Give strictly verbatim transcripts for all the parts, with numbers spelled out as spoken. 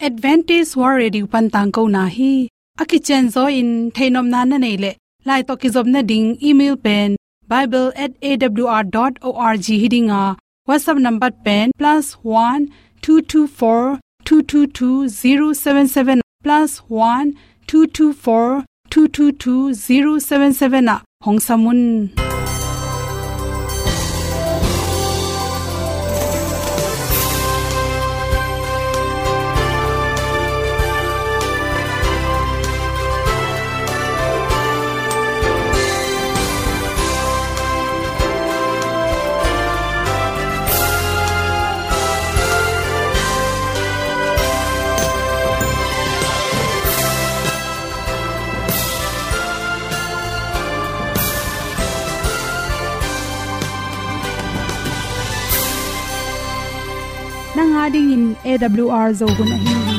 Adventist World Radio pan tangkona hi. A kicianzaw in theihnopna na neih leh, lai tawh kizopna ding email pen bible at A W R dot org hi ding a, WhatsApp number pen plus one two two four two two two zero seven seven, plus one two two four two two two zero seven seven ah hong sam un. Nang a dingin A W R Zo hun ahi hi.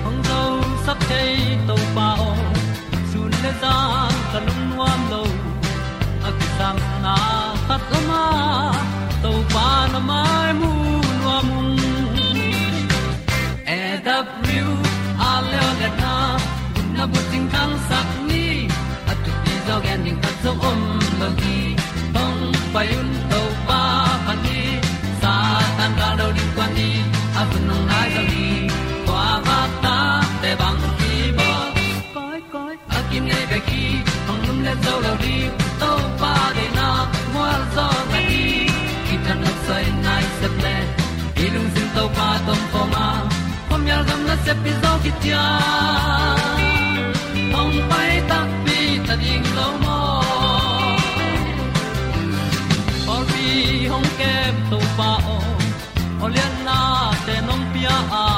Hong zosak thei Topa aw, sun le zan ka lungnuam lo. A kisapna khat om a, Topa na mai mu nuam ung. A W R Zo hun a bucing thangsak ni, a thupi zaw gen ding khat zong om lo hi. Hong pai un Topa phat ni, Satan gal do ding kuan ni, a hun hong nai zaw hi. Kua vak ta te bang kibawl. Koi, koi, a kinei bek hi, hong lumlet zo lo ding, Topa deihna mual zaw na hi. Kitang nok soi nai sep le, i lungsim Topa tawh om khawm a, khuamial gam nasep pi zaw khit ciang, hong pai takpi ta ding lo maw. Pawlpi hong kem Topa aw, aw lianna te nong pia a,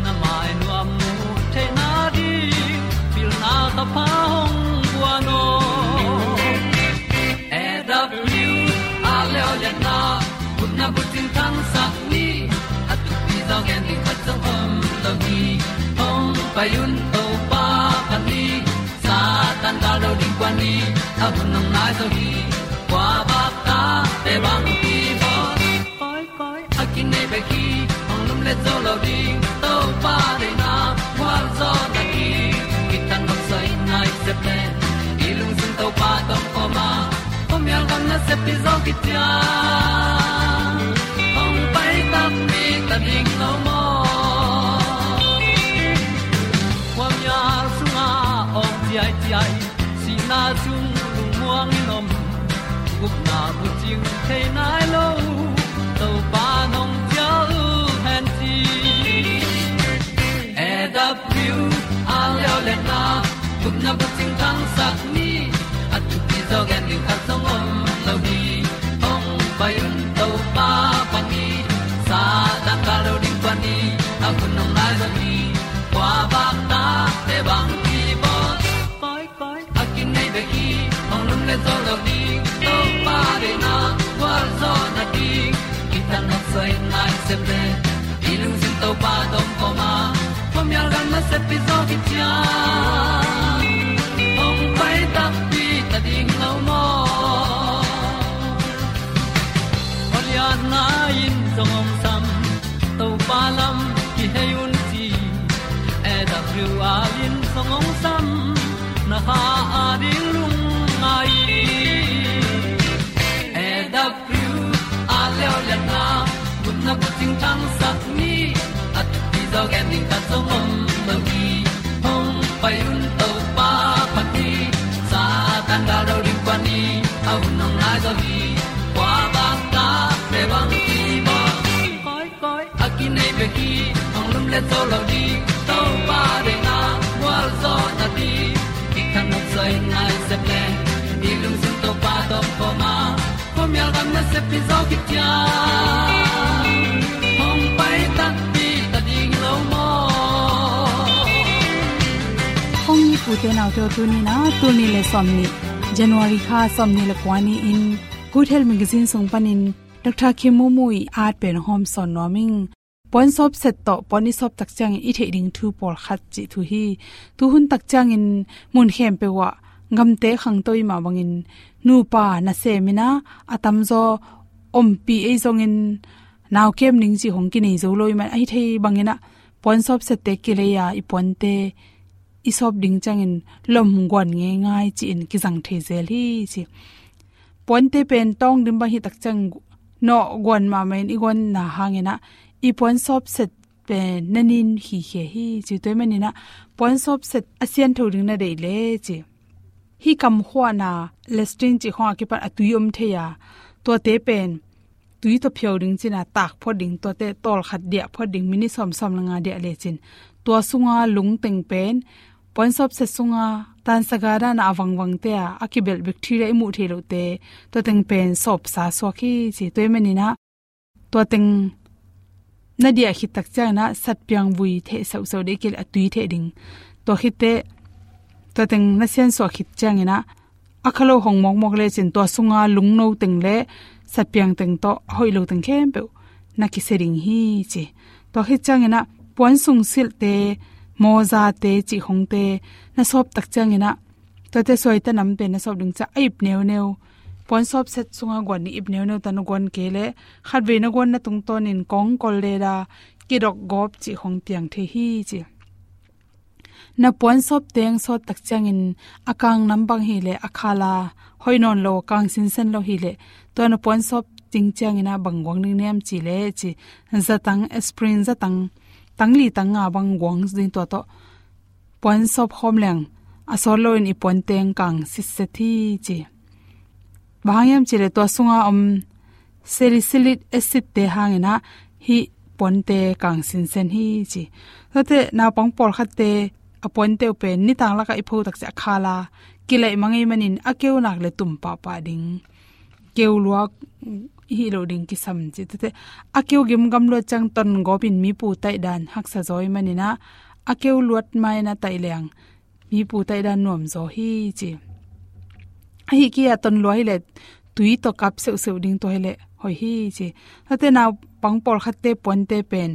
na mai nuam mu theihna ding, pilna ka pha hong guan aw. A W R Zo hun a bucing thangsak ni, a thupi zaw gen ding khat zong om lo hi. Hong pai un Topa phat ni, Satan gal do ding kuan ni, a hun hong nai zaw hi. Kua vak ta te bang kibawl. Koi, koi, a kinei bek hi, hong lumlet zo lo ding, Topa deihna mual zaw na hi. Kitang nok soi nai sep le, i lungsim Topa tawh om khawm a, khuamial gam nasep pi zaw khit ciang, hong pai takpi ta ding lo maw. Khuamial sungah awk ciaiciai, sihna sung lungmuang in om, gupna bucing thei nai lo, Topa nong cial hen ci. A W R Zo hun a gupna bucing thangsak ni, a thupi zaw gen ding khat zong om lo hi. Hong pai un Topa phat ni, Satan gal do ding kuan ni, a hun hong nai zaw hi. Kua vak ta te bang kibawl. Koi, koi, a kinei bek hi, hong lumlet zo lo ding, Topa deihna mual zaw na hi. Kitang nok soi nai sep le, i lungsim Topa tawh om khawm a, khuamial gam nasep pi zaw khit ciang, hong pai takpi ta ding lo maw. Aw lianna in zong hong sam, Topa lam kihei un ci. A W R in zong hong sam, na kha a ding lungngai. A W R Zo hun a gupna bucing thangsak ni, a thupi zaw gen ding khat zong om lo hi. Hong pai un Topa phat ni, Satan gal do ding kuan ni, a hun hong nai zaw hi. Kua vak ta te bang kibawl. Koi, koi, a kinei bek hi, hong lumlet zo lo ding, Topa deihna mual zaw na hi. Kitang nok soi nai sep le, i lungsim Topa tawh om khawm a, khuamial gam nasep pi zaw khit ciang, hong pai takpi ta ding lo maw. Hong it u te nau te aw, tuni in a, tul nih le sawmnih, January kha sawmnih le kua ni-in, Good Health Magazine sung panin Doctor Kim Mu Mu ii at pen hong hawmsawn nuam ing. Puan sawp set tawh puan i sawp tak ciangin i theih ding thu pawlkhat cih thu hi. Tuhun tak ciangin mun khempeuh ah gamte khangto i mah bangin nupa nasem in ah a tamzaw ompih ei zongin nau kem ning cih hong kinei zo lo i man ahi thei bangin ah puan sawpsette kilei a i puante i sawp ding ciangin lom guan ngeingai ci-in kizang thei zel hi ci. Puante pen tawng dim bang hi tak ciang nawh guan mahmah in i guanna hangin ah i puan sawpset pen na nin hi khia hi ci. Tua i manin ah puan sawpset a siantho ding na deih le ci. Hih kam khuahna latrine cih khawng a kipan a tui om thei a, tuate pen tui tawh phiau ding cin a tak phot ding, tuate tawlkhat diah phot ding, minit sawm, sawm le nga diah lecin tua sunga lungteng pen puan sawpset sunga tansaga dan a vangvangte a, a kibelh bacteria i muh theih lohte, tua teng pen sawpsa suak hi ci. Tua i manin ah tua teng na diah khit tak ciangin ah satpiang vui theh seuhseuh dih kil a tui theh ding. Tua khitteh tua teng na siansuah khit ciangin ah a kha lo hong mawkmawk lecin tua sunga lungno teng le satpiang teng tawh a hoih lo teng khempeuh na kisia ding hi ci. Tua khit ciangin ah puan sungsilhte, mawzate, cihkhongte na sawp tak ciangin ah tuate suaita namte na sawp ding ciah a ip neuneu, puan sawpset sunga guan ding ip neuneu ta na guan kei leh khatvei na guanna tungtawnin kawngkol leda, kidok gawp cihkhong piang thei hi ci. Na puan sawp teng sawt tak ciangin a kang nam bang hi leh a khala hoih nawn lo, kang sinsen lo hi leh tua na puan sawp ding ciangin ah bang guang ding niam ci leh ci, zatang, aspirin zatang, tangli tanga bang guang ding, tua tawh puan sawp khawm leng a sawt loin i puan teng kang sitset hi ci. Bang hang hiam ci leh tua sunga om salicylic acid te hangin ah hih puante kang sinsen hi ci. Tuate naupang pawlkhatte a puante uh pen nitang lakah i pho tak ciah a khala kilaih mangei manin a keu nak le tum pahpah ding, keu luak hi lo ding kisam ci. Tuate a keu gimgam luat ciang ton gawpin mipu taih dan haksa zaw i manin ah a keu luat mai na taih leng mipu taih dan nuam zaw hi ci. Ahi kia ton lua hi leh tui tawh kap seuhseuh ding, tua hi leh hoih hi ci. Tuate naupang pawlkhatte puante pen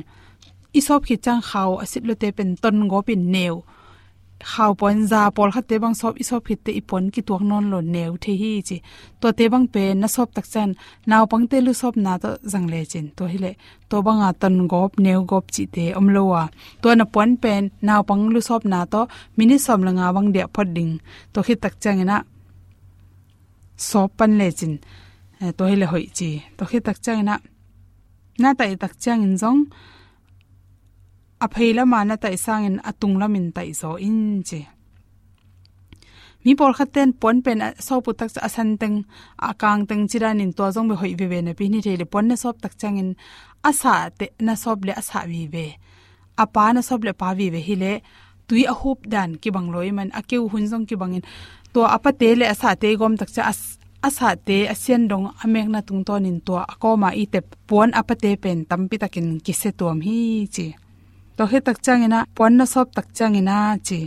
i sawp khit ciang khau a sit lote pen ton gawpin neu, khau puan za pawlkhatte bang sawp, i sawp khitteh i puan kituak nawn lo, neu thei hi ci. Tuate bang pen na sawp tak ciang naupangte lusawpna tawh zang lecin tua hi leh tua banga ton gawp, neu gawp cihte om lo a, tua na puan pen naupang lusawpna tawh minit sawm le nga bang diah phot ding. Tua khit tak ciangin ah sawp pan lecin, eh, tua hi leh hoih ci. Tua khit tak ciangin ah na taih tak ciangin zong a phei lama na taih sangin a tung lamin taih zaw in ci. Mi pawlkhatte in puan pen a sawp uh tak ciah a san teng, a kang teng ci danin tua zong beh hoih veve napi hi thei leh puan na sawp tak ciangin a sahte na sawp leh a sah vive, a pa na sawp leh pa vive hi leh tui a hup dan kibang lo i man a keu hun zong kibangin tua a pate le a sahte i gawm tak ciah a s-, a sahte a sian dong a mekna tungtawnin tua a kawma i tep puan a pate pen tampi takin kisia tuam hi ci. Tua khit tak ciangin ah puan na sawp tak ciangin ah ci,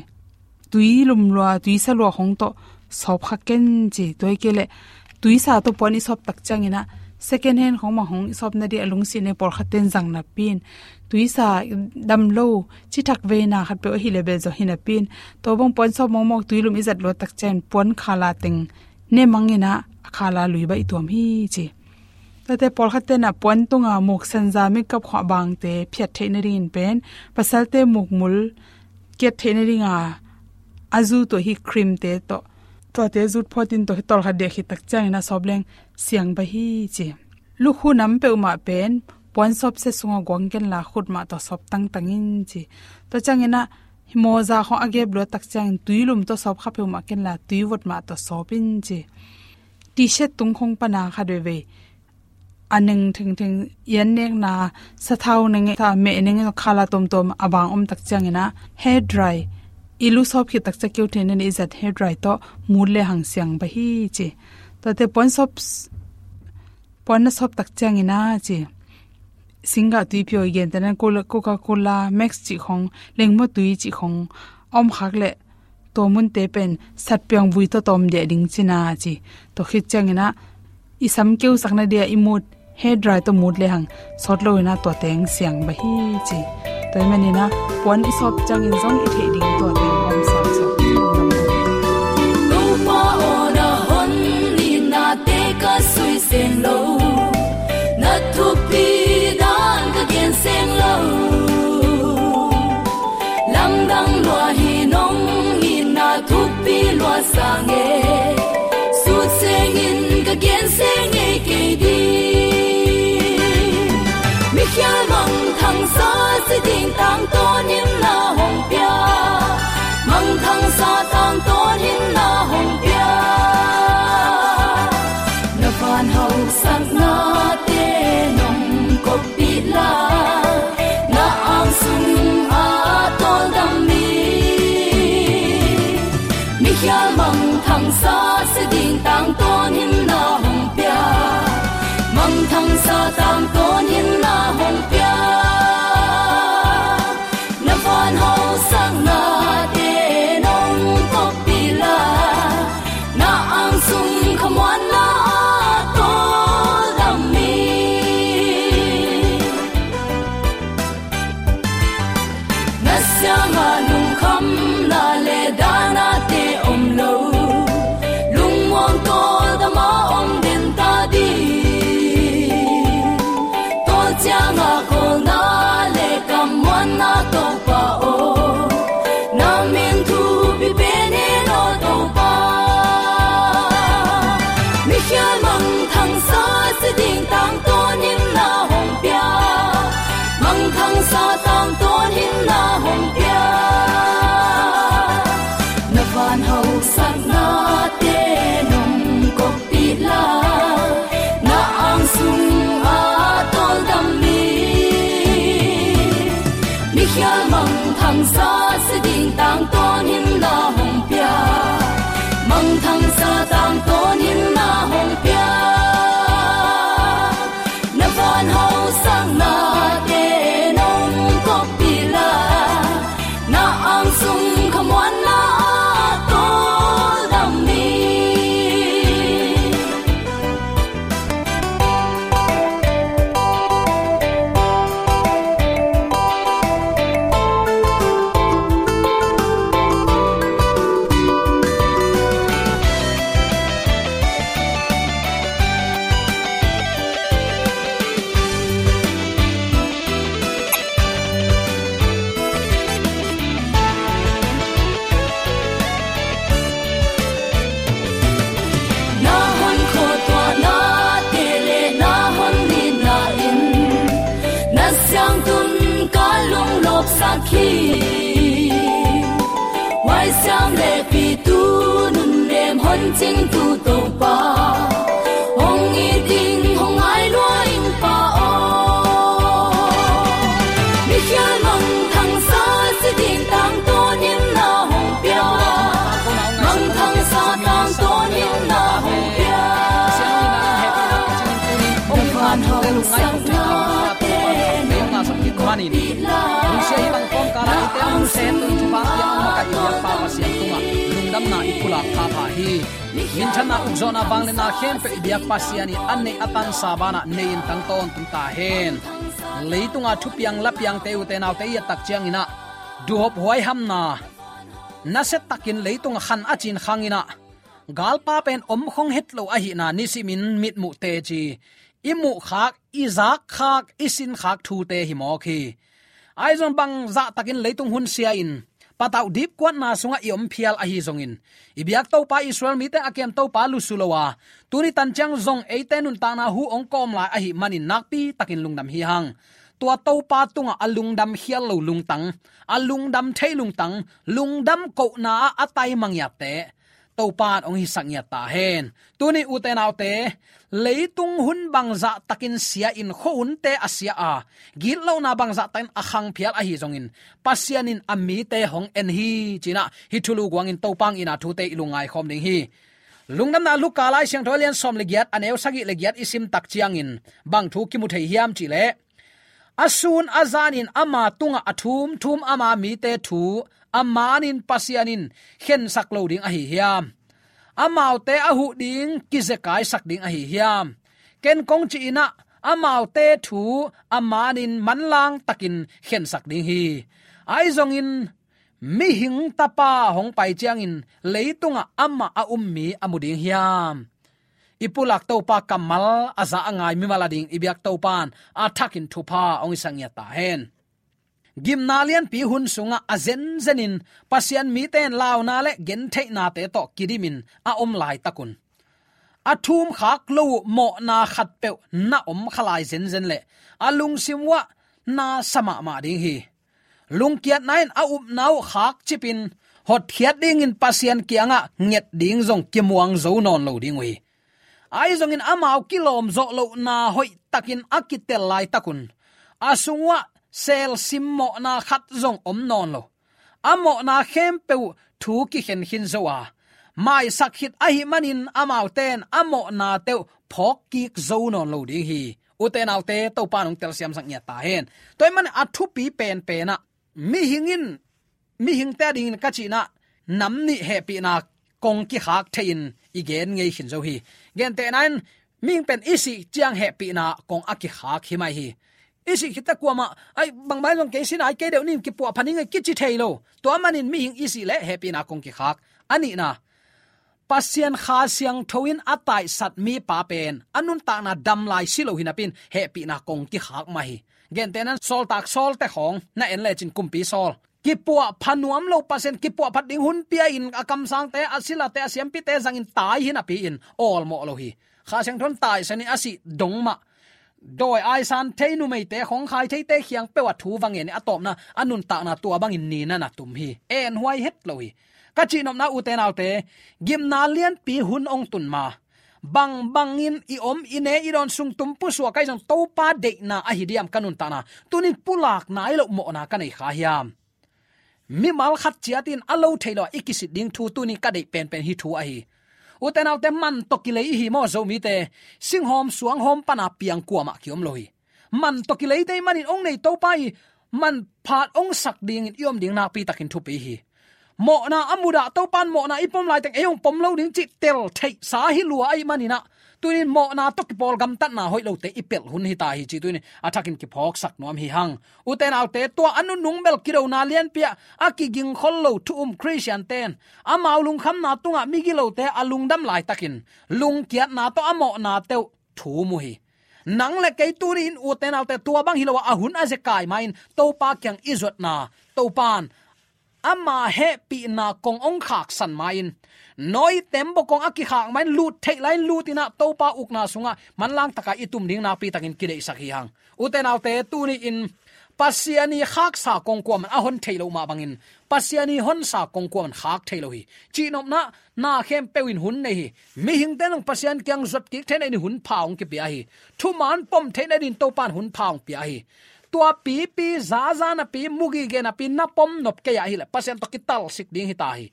tui lum lua, tui sa lua khong tawh sawp kha ken ci. Tua hi kei leh tui sa tawh puan i sawp tak ciangin ah second hand khong mah hong i sawp nadih a lungsiatna pawlkhatte in zang napi in tui sa dam lo, cithak veina khat peuh ahi leh bel zaw hi napi in tua bang puan sawp mawkmawk tui lum i zat luat tak ciangin puan khala teng ne mangin ah a khala lui baih tuam hi ci. Tuate pawlkhatte in ah puan tunga muk sanza, makeup khuah bangte phiat theih nadingin pen pasalte mukmul kiat theih nadinga a zu tua hi cream te tawh, tuate zut phawtin tua hi tawlkhat diah khit tak ciangin a sawp leng siang baih hi ci. Lukhu nam peuhmah pen puan sawpset sunga guang kenla khut mah tawh sawp tangtang in ci. Tua ciangin ah mawza khong a gep luat tak ciangin tui lum tawh sawp kha peuhmah kenla tui vot mah tawh sawp in ci. T-shirt tung khong pana khat veivei a neng thengtheng, i an nekna sathau neng, sa meh neng, khala tomtom a bang om tak ciangin ah hair dry, i lu sawp khit tak ciang keu theihna ding i zat hair dry tawh mut le hang siang baih hi ci. Tuate puan sawp, puan na sawp tak ciangin ah ci, singgah tui phiau i gentehna Coca-Cola, Max cih khong, lengmaw tui cih khong a om khak leh tua munte pen satpiang vui tawh tawm diah ding cina ci. Tua khit ciangin ah i sam keu sakna dia i mut, hair dry tawh mut le hang sawt lo in ah tua teng siang baih hi ci. Tua hi manin ah puan i sawp ciangin zong i theih ding tua teng om sawpsawp. seng lo, na thupi dan ka gen seng lo. Lamdang lua hi nong itna thupi lua sang e. Sut sengin ka gen seng e kei ding. Mikhial mangthangsa si ding tangtawn in na hong pia. Mangthangsa tangtawn in na hong pia. Na van hausaknate nong koppih la, na angsung a tawldam mi. Mikhial mangthangsa si ding tangtawn in na hong pia. Mangthangsa tangtawn in na hong pia. Na van hausaknate nong koppih la, na angsung khamuanna a tawldam mi. Na siangah lungkhamna le danate om lo, lungmuang tawldam a om den ta ding. Tawl ciangah kawlna le kammuanna Topa aw, na min thupi pen hen aw Topa. Mikhial mangthangsa si ding tangtawn in na hong pia. Mangthangsa tangtawn in na hong pia. Na van hausaknate nong koppih la, na angsung a tawldam mi. Mikhial mangthangsa si ding tangtawn in na hong pia. Mangthangsa tangtawn in na hong pia. Na van hausaknate nong koppih la, na angsung khamuanna a tawldam mi. Na hon khuatuahnate le na hon nitna in na siangtun ka lunglawpsak hi. Huaisiam le pitu nunnem hon cingtu Topa, hong it ding hong ngai lua ing Pa aw. Mikhial mangthangsa si ding tangtawn in na hong pia. Mangthangsa tangtawn in na hong pia. Na van hausaknate nong koppih la, na angsung a tawldam mi. Lungdamna i pulak pha pha hi. Minthanna, ukzawhna, vangliatna khempeuh i biak Pasian in a neih a tansa banah nei-in tang tawntung ta hen. Leitunga thupiang lapiangte, ute naute, i et tak cianginah duhop huaihamna, nasiatakin leitunga khan a cin khanginah galpa pen om khong het lo ahihna nisimin mitmuh teci, i muhkhak, i zakkhak, i sinkhak thute hi mawk hi. Ahi zong bangzah takin leitung hun sia-in patauh dipkuatna sungah i om phial ahi zongin, i biak Topa, Israel mite a kem Topa lusu lo a, tuni tan ciang zong eite nuntakna hu hong kawm lai ahih manin nakpi takin lungdam hi hang. Tua Topa tungah a lungdam khial lo lungtang, a lungdam thei lungtang, lungdam kohna ah a tai mangiatte Topa in hong hisak ngiat ta hen. Tuni, ute naute, leitung hun bangzah takin sia-in, khuahunte a sia a, gitlohna bangzah takin a khang phial ahi zongin, Pasian in a mite hong en hi, cinah hih thulu guangin Topa hong itna thute i lungngai khawm ding hi. Lungdamna Luka Lai Siangtho a lian sawm le giat, a neu sagih le giat i sim tak ciangin bang thu kimu thei hiam cihleh, a sun a zanin ama tungah a thumthum ama mite thu a manin Pasian in khensak lo ding ahi hiam? Amaute a huh ding kizekaisak ding ahi hiam? Ken kong ci-inah amaute thu a manin manlang takin khensak ding hi. Ahi zongin, Mihing Tapa hong pai ciangin leitungah amah a um mi a mu ding hiam? i pulak Topa kammal a za a ngai mimal a ding i biak Topa'n a thakin thupha hong hisak ngiat ta hen. Gimna lianpi hun sungah a zenzenin Pasian mite in launa le gentheihnate tawh kidimin a om laitakun, a thumkhak lo uh mawhna khatpeuh na om kha lai zenzen leh a lungsim uhah na sa mahmah ding hi. Lungkiatna in a upna uh khakcipin hotkhiat dingin Pasian kiangah nget ding zong kimuang zo nawn lo ding uh hi. Ahi zongin amau kilawm zawh lohna hoihtakin a kitel laitakun, a sung uhah selsim mawhna khat zong om nawn lo. A mawhna khempeuh uh thu kikhen khin zo a, maisak khit ahih manin amaute in a mawhnate uh phawk kik zo nawn lo ding hi. Ute naute, Topa'n hong telsiamsak ngiat ta hen. Tua ahih manin a thupi penpen ah, mihing in, mihingte adingin ka cih in ah, nam nih hehpihna kong kikhak thei-in i gen ngei khin zo hi. Gentehna in, mihing pen i sih ciang hehpihna kong a kikhak hi mai hi. I sih khit teh kuamah, ai, bangmah in zong kei si nai kei deuh ni in kipuahpha ning ei kici thei lo. Tua manin mihing i sih leh hehpihna kong kikhak. A nihna, Pasian Kha Siangtho in a taisat mipa pen a nuntakna dam lai si lo hi napi-in hehpihna kong kikhak mah hi. Gentehna in Sawltak Sawlte khawng na en lecin, Kumpi Saul, kipuahpha nuam lo, Pasian kipuahphat ding hun pia-in a kamsangte, a silate, a siampite zangin tai hi napi-in awlmawh lo hi. Kha Siangtho in taisan in a sih dong mah, dawi aisan thei, numeite khawng khai theite kiang peuh ah thu va ngen in, a tawpna a nuntakna tua bangin nina na tum hi. Enhuai het lo hi. Ka cihnopna, ute naute, gimna lianpi hun hong tun ma, bangbangin i om, i ne i dawn, sung tum pusuak ahi zong, Topa deihna ahi diam ka nuntakna? Tuni in pulak nai loh mawhna ka nei kha hiam? Mimal khat ciat in a lo thei lo-a i kisit ding thu tuni in ka deih penpen hih thu ahi. Ute naute, man tawh kilei i hi maw, Zomite? Singhawm suanghawm pana piang kuamah kiom lo hi. Man tawh kileite ahih manin hong nei Topa in manphat hong sak dingin i om ding nakpi takin thupi hi. Mawhna a mudah Topa'n mawhna i pom laiteng ei hong pom lo ding cih tel theihsa hi lua ahih manin ah, tuni in mawhna tawh kipawl gamtatna hoih lote i pelh hun hi ta hi cih tuni in a thakin kiphawksak nuam hi hang. Ute naute, tua a nunung bel kidona lianpi ah a kigingkhol lo thu um Khristiante in amau lungkhamna tungah migilote a lungdam laitakin lungkiatna tawh a mawhnate uh thum uh hi. Nang le kei tuni in, ute naute, tua bang hi lo-a, a hun a zekai ma-in Topa kiang i zuatna, Topa'n ama hehpihna kong hong khaksan ma-in, Noah tembaw kong a kikhak ma-in lut theih lai-in lut in ah, Topa ukna sungah manlang taka i tum ding nakpi takin kideihsak hi hang. Ute naute, tuni in Pasian ii khaksa kong kuamah in a hon thei loh mah bangin, Pasian ii honsa kong kuamah in khak thei lo hi. Cihnopna, na khempeuh in hun nei hi. Mihingte in zong Pasian kiang zuat kik theihna dingin hun pha hong kipia hi. Thuman pom theihna dingin Topa'n hun pha hong pia hi. Tua pipi, zaza napi, mu gige napi na pom nop kei a hih leh Pasian tawh kitalsik ding hi ta hi.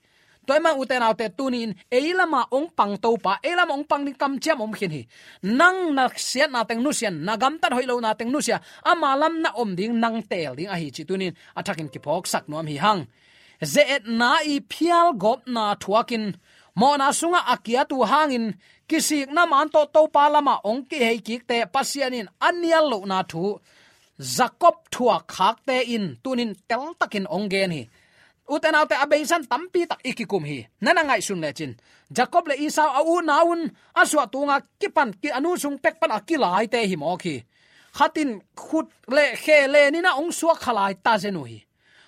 Tua ahih manin, ute naute, tuni in ei lamah hong pang Topa, ei lamah hong pang ding kamciam om khin hi. Nang na siatna teng nusia in, na gamtat hoih lohna teng nusia, ama lam na om ding, nang teel ding ahi cih tuni in a thakin kiphawksak nuam hi hang. Ze-etna ii phialgawpna thuakin, mawhna sungah a kiat uh hangin, kisikna man tawh Topa lamah hong kihei kikte Pasian in a nial lohna thu Jacob thuak khakte in tuni in teltakin hong gen hi. Ute naute, a beisa in tampi tak i kikum hi. Na na ngaihsun lecin, Jacob le Esau, a unau un a suahtunga kipan, ki, a nu sung pek pan a kilaite hi mawk hi. Khat in khut le khe len in ah hong suak kha lai ta zen uh hi.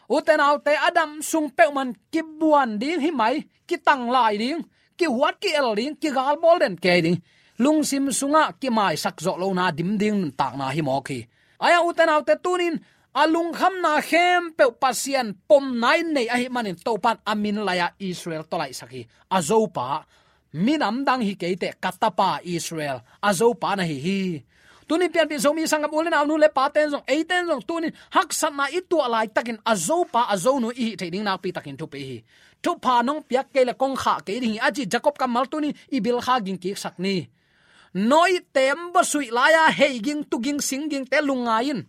Ute naute, a dam sung peuhmah in kibuan ding hi mai, kitanglai ding, kihuat ki-el ding, kigalbawl den kei ding, lungsim sungah kimaisak zawh lohna dim ding nuntakna hi mawk hi. Ahi hang, ute naute, tuni in a lungkhamna khempeuh Pasian pomna in nei ahih manin Topa'n a min lai-ah Israel tawh laihsak hi. A Zopa, minam dang hi kei teh, ka tapa Israel, a Zopa na hi hi. Tuni in pianpih Zomi sanggam u le nau, nu le pate in zong, eite in zong tuni in haksatna i tuah laitakin a Zopa, a Zonu i hih theih ding nakpi takin thupi hi. Thupha nong piak kei leh kong khah kei ding hi, a ci Jacob kammal tuni in i bilkha ging kiksak ni. Noah tembaw suih lai-a hei ging, tu ging, sing gingte lungngai in.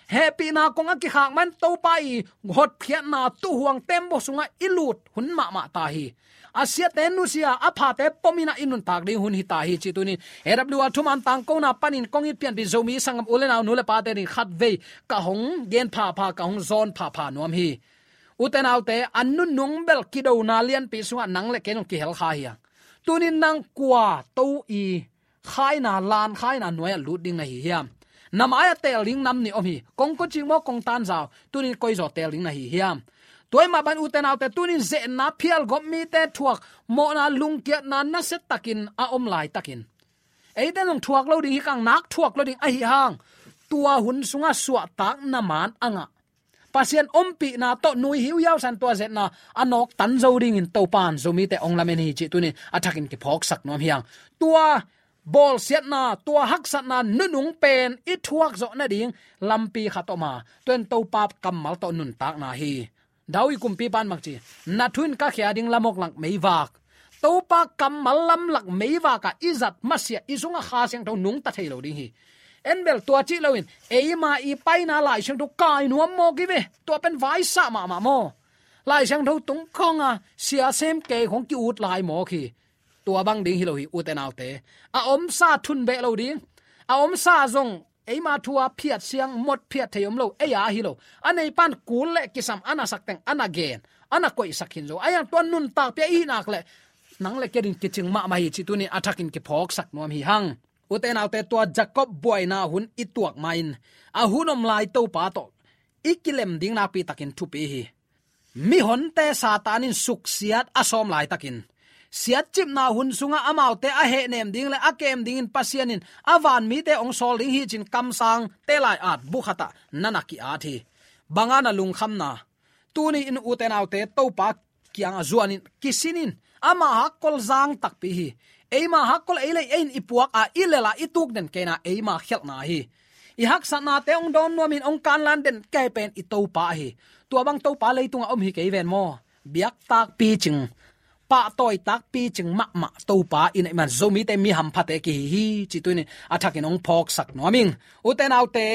Hehpihna kong a kikhak man Topa ii hotkhiatna tuuhuang tembaw sungah i lut hun mahmah ta hi. A siate nusia, a phate pom in ah i nuntak ding hun hi ta hi cih tuni in A W R thuman tangkona panin kong it pianpih Zomi sanggam u le nau, nu le pate ding khatvei ka hong gen phapha, ka hong zawn phapha nuam hi. Ute naute, a nunung bel kidona lianpi sungah nang le kei zong kihel kha hi hang. Tunin nang kua to i khaina, lan khaina nuai-ah lut ding na hi hiam? Na mai-ah teel ding nam nih om hi. Kong khuacing maw, kong tanzau, tunin koi zaw teel ding na hi hiam? Tua ahih mah bangin ute naute, tunin ze-etna phialgawp mite thuak, mawhna, lungkiatna nasia takin a om laitakin, eite zong thuak lo ding hi kang, nak thuak lo ding ahih hang, tua hun sungah suahtakna man a ngah, Pasian ompihna tawh nui hiuhiau san tua ze-etna a nawktan zo dingin Topa'n Zomite hong lamen hi cih tunin a thakin kiphawksak nuam hi hang. Tua bawlsiatna, tua haksatna nunung pen i thuak zawh nading lampi khat om a, tua in Topa kammal tawh nuntakna hi. David kumpipa'n bang ci? Na thu in ka khia ding lamawk lak meivak, Topa kammal lamlak meivak ah i zat masiah, i sungah Kha Siangtho nungta thei lo ding hi. En bel tua cih loin, eima i paina Lai Siangtho kai nuam mawk hi ve. Tua pen vaisah mahmah maw. Lai Siangtho tung khawng a sia sem kei khawng ki-ut lai mawk hi. Tua bang ding hi lo hi, ute naute. A omsa thun beh lo ding. A omsa zong eima thu-a phiat siang, mot phiat thei om lo, ei-a hi lo. A neipa'n kul le kisam a na sak teng a na gen, a na koihsak khin zo. Ahih hang tua nuntakpih i hih nak leh nang le kei ading kicing mahmah hi cih tunin a thakin kiphawksak nuam hi hang. Ute naute, tua Jacob buaina hun i tuak ma-in, a hun om lai Topa tawh i kilem ding nakpi takin thupi hi. Mihonte Satan in suksiat a sawm laitakin, siatcipna hun sungah amaute a hehnem ding le a kem dingin Pasian in a vanmite hong sawl ding hi ci-in kamsangte lai-at bu khatah na na ki-at hi. Bang a na lungkhamna? Tuni-in ute naute, Topa kiangah zuanin, kisinin, ama hakkol zang takpi hi. Eima hakkol ei le ei in i puak a, i lel a, i tuk den kei-in ah eima khialhna hi. I haksatnate hong dawn nuamin hong kanlan den kei pen i Topa ahi. Tua bang Topa leitungah om hi kei ven maw. Biak takpi cing, pahtawi takpi cing mahmah Topa i neih man Zomite mi hamphate kihi hi cih tunin a thakin hong phawksak nuam ing. Ute naute,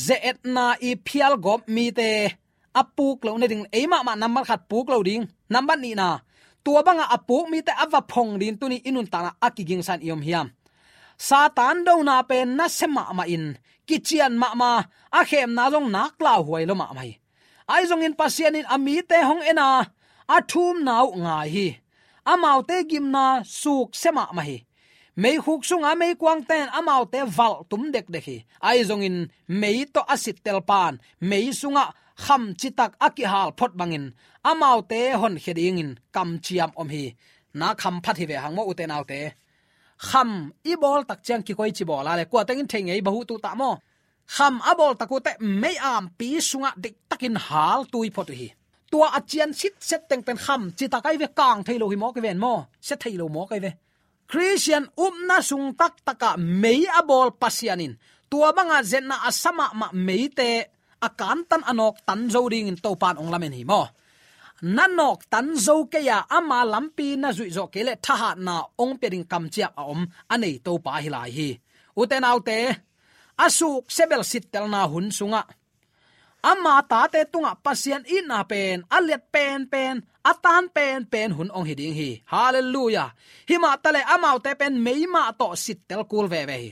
ze-etna i phialgawp mite a puk loh nading, ei mahmah nambat khat puk lo ding. Nambat nihna, tua bangah a puk mite a va phong ding tunin i nuntakna a kigingsa-in i om hiam? Satan dona pen nasia mahmah in, kician mahmah, a khemna zong nak lauhuai lua mahmah hi. Ahi zongin Pasian in a mite hong en a, a thumna uh ngai hi. Amaute gimna suksia mahmah hi. Meikhuk sunga meikuangte in amaute valh tum dekdek hi. Ahi zongin mei tawh a sittelpa'n mei sungah kham citak a kihal phot bangin amaute honkhia dingin kamciam om hi. Na kham phat hi ve hang maw, ute naute. Kham i bawl tak ciang kikoici bawl a le, kua teng in thei ngei bang uh tuh ta maw. Kham a bawl tak uh teh mei ampi sungah deihtakin hal tui phot uh hi. Tua a cian sitset teng pen kham citak ahi ve, kang thei lo hi mawk hi ven maw, sia thei lo mawk ahi ve. Khristian upna sung taktakah mei a bawl Pasian in tua bangah ze-etna a sa mahmah meite a kantan a nawktan zo dingin Topa'n hong lamen hi maw. Na nawktan zo kei a, ama lampi na zuih zawh kei leh thahatna hong pia ding kamciam a om a nei Topa hi lai hi. Ute naute, a suksia bel sittelna hun sungah, ama tate tungah Pasian itna pen a liat penpen, a tan penpen hun hong hi ding hi. Halleluiah. Himah taleh amaute pen meima tawh sittel kul veve hi.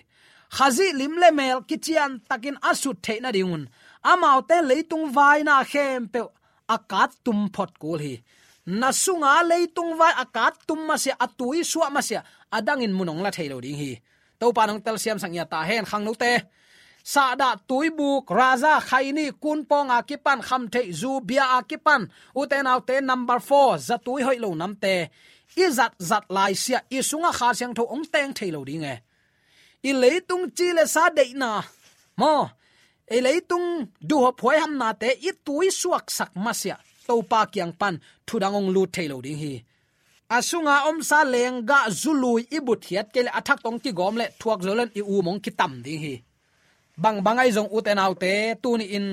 Khazih lim le mel kician takin a sut theih nadingun amaute leitung vaina khempeuh a kattum phot kul hi. Na sunga leitung vai a kattum masiah, a tui suah masiah, a dangin mun hong la thei lo ding hi. Topa'n hong telsiamsak ngiat ta hen, khangnote. Sahdah, tuibuk, raza, khaini, kunpawng a kipan, khamtheih, zu, bia a kipan, ute naute, number four, zatui hoih lo namte i zatzat laisiah i sungah Kha Siangtho hong teng thei lo ding e. I leitung ci le sa deihna maw, i leitung duhhuap huaihamnate i tui suaksak masiah Topa kiang pan thudang hong lut thei lo ding hi. A sunga omsa lenggah, zu, lui i butkhiat kei leh a thak tawh hong kigawm leh thuak zo leng i um hong kitam ding hi. Bangbang ahi zong, ute naute, tuni-in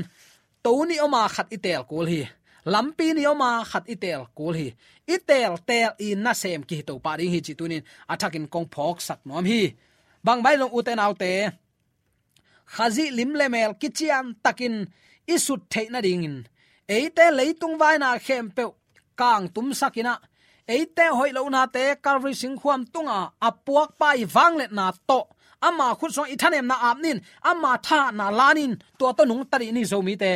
to nih om a khat i teel kul hi. Lampi nih om a khat i teel kul hi. I teelteel i nasem kihi Topa ding hi cih tuni-in a thakin kong phawksak nuam hi. Bangbang ahi zong, ute naute, Khazih lim le mel kician takin i sut theih nadingin eite leitung vaina khempeuh kangtumsak in ah, eite hoih lohnate Calvary singkhuam tunga a puakpa i vangliatna tawh ama khut sungah i thanemna ap ni-in, ama thahatna la ni-in, tua tawh nungta dih ni, Zomite.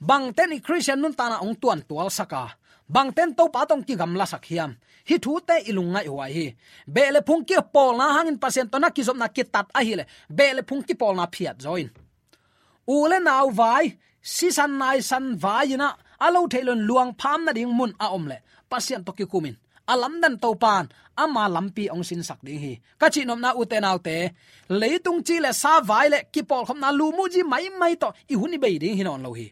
Bangte in i Khristian nuntakna hong tuantualsak a, Bangten Topa tawh kigamlasak hiam? Hih thute i lungngaih huai hi. Beh le phung kipawlna hangin Pasian tawh na kizopna kitat ahih leh beh le phung kipawlna phiat zaw in. U le nau vai, sisan naisan vai in ah, a lo thei loin luang pham nading mun a om leh Pasian tawh kikum in. A lamdang Topa'n ama lampi hong sinsak ding hi. Ka cihnopna ute naute, leitung ci le sa vai le kipawlkhopna lu muhzi maimai tawh i hun i bei ding hi nawn lo hi.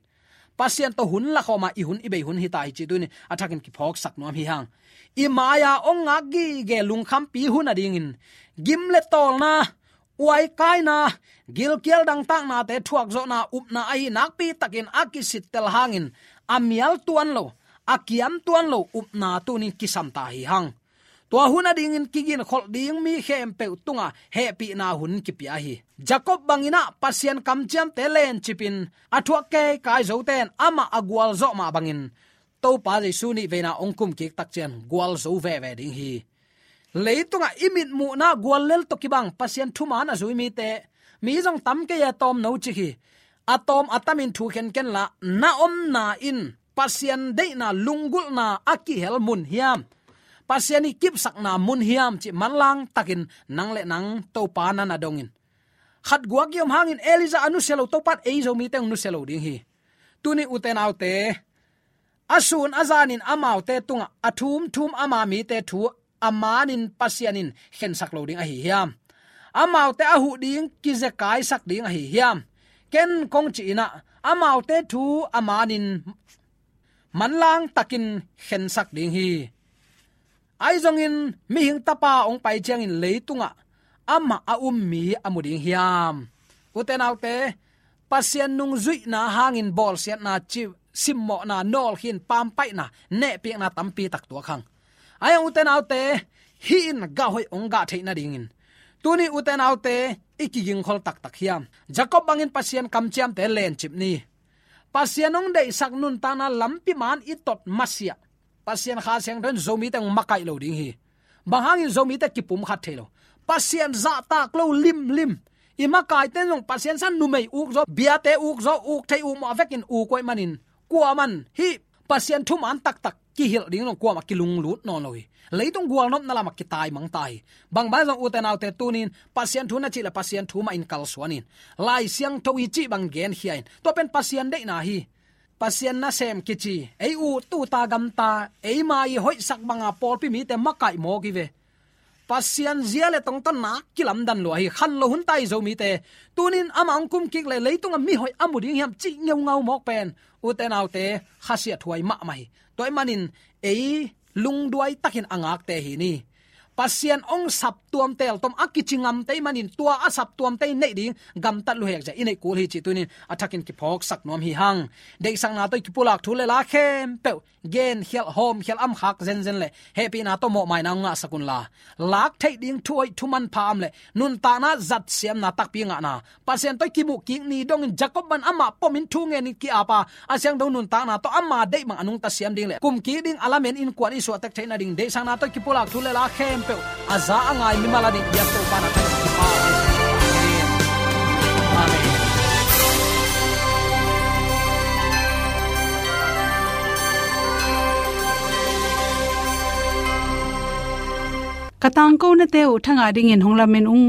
Pasian tawh hun lakhawm a i hun i bei hun hi ta hi cih tuni a thakin kiphawksak nuam hi hang. I mai-a hong ngak gige lungkhampi hun a dingin gim le tawlna, uaikaina, gilkial dangtaknate thuakzawhna upna ahi nakpi takin a kisittel hangin a mial tuan lo, a kiam tuan lo upna tunin kisam ta hi hang. Tua hun a dingin kiginkholh ding mi khempeuh tungah hehpihna hun kipia hi. Jacob bangin ah Pasian kamciamte lencipin a thuak keikai zote in amah a gualzawh mah bangin Topa Jesu nih veina hong kum kik tak ciang gualzo veve ding hi. Leitungah i mitmuhna guallel tawh kibang Pasian thuman a zui mite, mi zong tam kei a tawm no cik hi. A tawm a tamin thu khenken la, na omna in Pasian deihna lunggulhna a kihel mun hiam, Pasian i kipsakna mun hiam cih manlang takin nang le nang Topa na na dongin. Khat guak i om hangin Elijah a nusia lo Topa'n ei Zomite hong nusia lo ding hi. Tuni ute naute, a sun a zanin amaute tungah a thumthum ama mite thu a manin Pasian in khensak lo ding ahi hiam? Amaute a huh ding kizekaisak ding ahi hiam? Ken kong cih in ah amaute thu a manin manlang takin khensak ding hi. Ahi zongin mihing tapa hong pai ciangin leitungah amah a um mi a mu ding hiam? Ute naute, Pasian nungzuihna hangin bawlsiatna, ci simmawhna, nawlkhin, pampaihna, nehpiakna tampi tak tuak hang. Ahi hang ute naute, hih in gah hoih hong gah theih nadingin tuni ute naute i kigingkhol taktak hiam? Jacob bangin Pasian kamciamte lencip ni. Pasian hong deihsak nuntakna lampi man i tot masiah Pasian Kha Siangtho in Zomite hong makaih lo ding hi. Bang hangin Zomite kipumkhat thei lo? Pasian zahtak lo limlim. I makaite zong Pasian san numei uk zaw, biate uk zaw, uk thei uk mawh vekin uk uh ahih manin, kuaman hih Pasian thuman taktak kihilh ding zong kuamah kilunglut nawn lo hi. Leitung gualnopna lamah kitaimang ta hi. Bangbang zong ute naute tunin Pasian thu na cih le Pasian thu mah in kalsuan in. Lai Siangtho i cih bang genkhia in. Tua pen Pasian deihna hi. Pasian nasem kici, ei ut uta gamta, eima i hoihsak banga pawlpi mite makaih mawk hi ve. Pasian zia le tongtawna kilamdan lua hi, khan lo hun ta hi Zomite. Tunin amah hong kum kik le leitungah mihoih a mu ding hiam cih ngeungau mawk pen ute naute khasiathuai mahmah hi. Tua ahih manin ei lungduai takin a ngakte hi ni. Pasian hong saptuam teltom a kici ngamte ahih manin tua a saptuamte i neih ding gamtat luhek zia i neih kul hi cih tunin a thakin kiphawksak nuam hi hang. Deihsakna tawh i kipulak thu le la khempeuh genkhialh hawmkhialh amkhak zenzen le hehpihna tawh mawhmaina hong ngahsak unla, lak theih ding thu hoih thu manpha om le nuntakna zatsiamna takpi ngahna Pasian tawh i kimuh kik ni dongin Jacob bang amah pomin thu ngenin ki-apa a siangtho nuntakna tawh ama deih bang a nungta siam ding le kum kik ding a lamen innkuan i suahtek theih nading deihsakna tawh i kipulak thu le la khempeuh a za a ngai mimal a ding biak Topa na thang. Amen. Ka tangkonate uh thangah dingin hong lamen ung.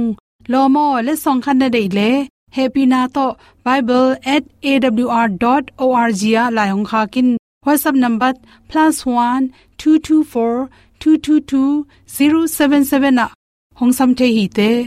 Lawm aw, letsong khat na deih leh hehpihna tawh bible at A W R dot O R G ah lai hong khak in. WhatsApp number plus one two two four two two two zero seven seven ah hong sam thei hi te.